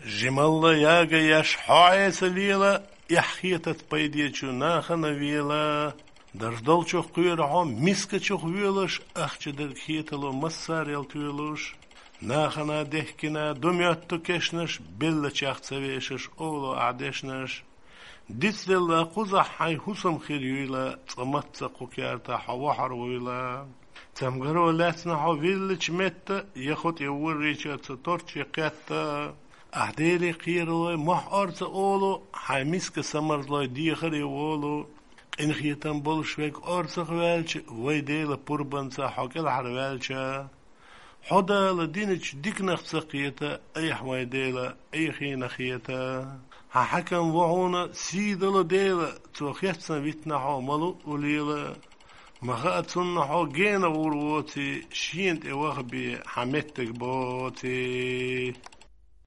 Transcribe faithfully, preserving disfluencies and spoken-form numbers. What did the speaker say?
Жималла яга еш хьо Ӏеса лела, эхь хетаца пайдечу нахана вела. Дарж долчух кхоьру хьо мискачух воьлуш, ахча дерг хетало массарел тоьлуш. Нахана дехкина ду моьтту кешнаш, беллачех ца вешаш, олу ахь дешнаш. Дицделла кхузахь хьайн хӀусам хир юйла, цкъа мацца кху кертахь хьо вахьар вуйла. Цамгаро лаьцна хьо виллачу метта, я хӀу тӀе воррича ца торче кхетта. Ахь Деле кхералой мохь орца олу, хьайн миска самарзлой дехаре волу. Къинхетам болуш верг орцах ваьлча, вай Дела пурбанца хьо кӀелхьарваьлча. Хьо Дала диначу диканах ца кхета, айхьа вай Дела, айхьина хета. Хьан хьаькам ву хьуна, сий дала Дела, цо хецна витна хьо ма луъу лела. Ма хаьа цунна хьо гена гӀур воций, шена тӀе ваха бе хьан меттиг боций.